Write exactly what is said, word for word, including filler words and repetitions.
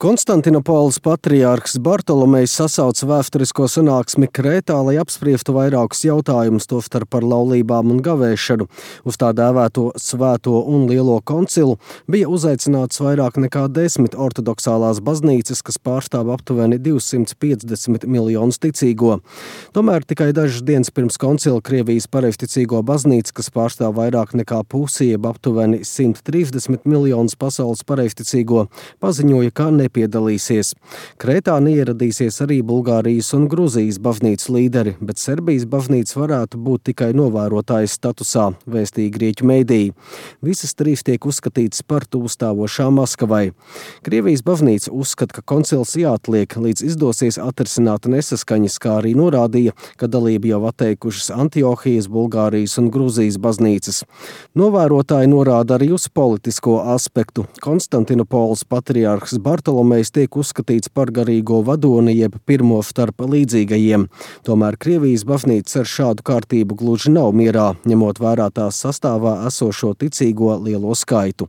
Konstantinopoles patriārhs Bartolomejs sasauca vēsturisko sanāksmi Krētā, lai apspriestu vairākus jautājumus, tostarp par laulībām un gavēšanu. Uz tā dēvēto svēto un lielo koncilu bija uzaicināts vairāk nekā desmit ortodoksālās baznīcas, kas pārstāv aptuveni divsimt piecdesmit miljonus ticīgo. Tomēr tikai dažas dienas pirms koncila Krievijas pareizticīgo baznīca, kas pārstāv vairāk nekā pusi, jeb aptuveni simt trīsdesmit miljonus pasaules pareizticīgo, paziņoja, ka ne piedalīsies. Krētā neieradīsies arī Bulgārijas un Gruzijas baznīcas līderi, bet Serbijas baznīca varētu būt tikai novērotājas statusā, vēstīja grieķu mēdīji. Visas trīs tiek uzskatītas par tuvstāvošām Maskavai. Krievijas baznīca uzskata, ka koncils jāatliek, līdz izdosies atrisināt nesaskaņas, kā arī norādīja, ka dalību jau atteikušas Antiohijas, Bulgārijas un Gruzijas baznīcas. Novērotāji norāda arī uz politisko aspektu. Konstantinopoles patriārhs Bartolomejs tiek uzskatīts par garīgo vadoni, jeb pirmo starp līdzīgajiem. Tomēr Krievijas baznīca ar šādu kārtību gluži nav mierā, ņemot vērā tās sastāvā esošo ticīgo lielo skaitu.